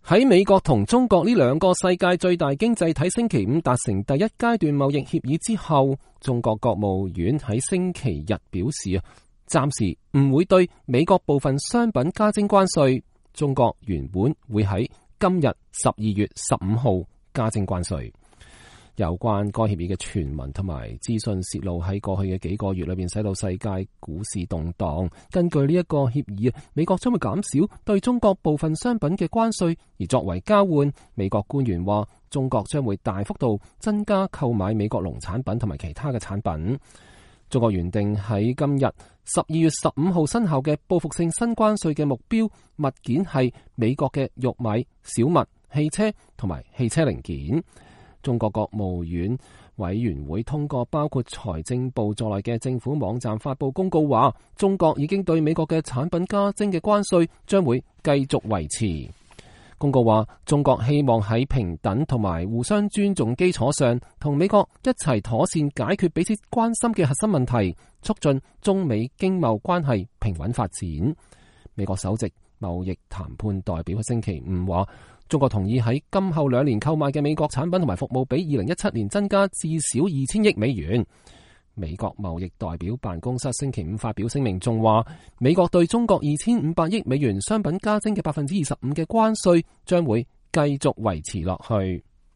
喺美國同中國呢兩個世界最大經濟體星期五達成第一階段貿易協議之後，中國國務院喺星期日表示暫時唔會對美國部分商品加徵關稅。中國原本會喺今日12月15號加徵關稅。有關該協議嘅傳聞同埋資訊泄露喺過去嘅幾個月裏邊，使到世界股市動盪。根據呢一個協議，美國將會減少對中國部分商品嘅關稅，而作為交換，美國官員話中國將會大幅度增加購買美國農產品同埋其他嘅產品。中國原定喺今日12月15號生效嘅報復性新關稅嘅目標物件係美國嘅玉米、小麥、汽車同埋汽車零件。中國國務院委員會通過包括財政部在內嘅政府網站發佈公告，話中國已經對美國嘅產品加徵嘅關稅將會繼續維持。公告話中國希望喺平等同埋互相尊重基礎上，同美國一齊妥善解決彼此關心嘅核心問題，促進中美經貿關係平穩發展。美國首席貿易談判代表喺星期五話，中國同意喺今後2年購買嘅美國產品同埋服務比2017年增加至少2000億美元。美國貿易代表辦公室星期五發表聲明，仲話美國對中國2500億美元商品加徵嘅25%嘅關稅將會繼續維持落去。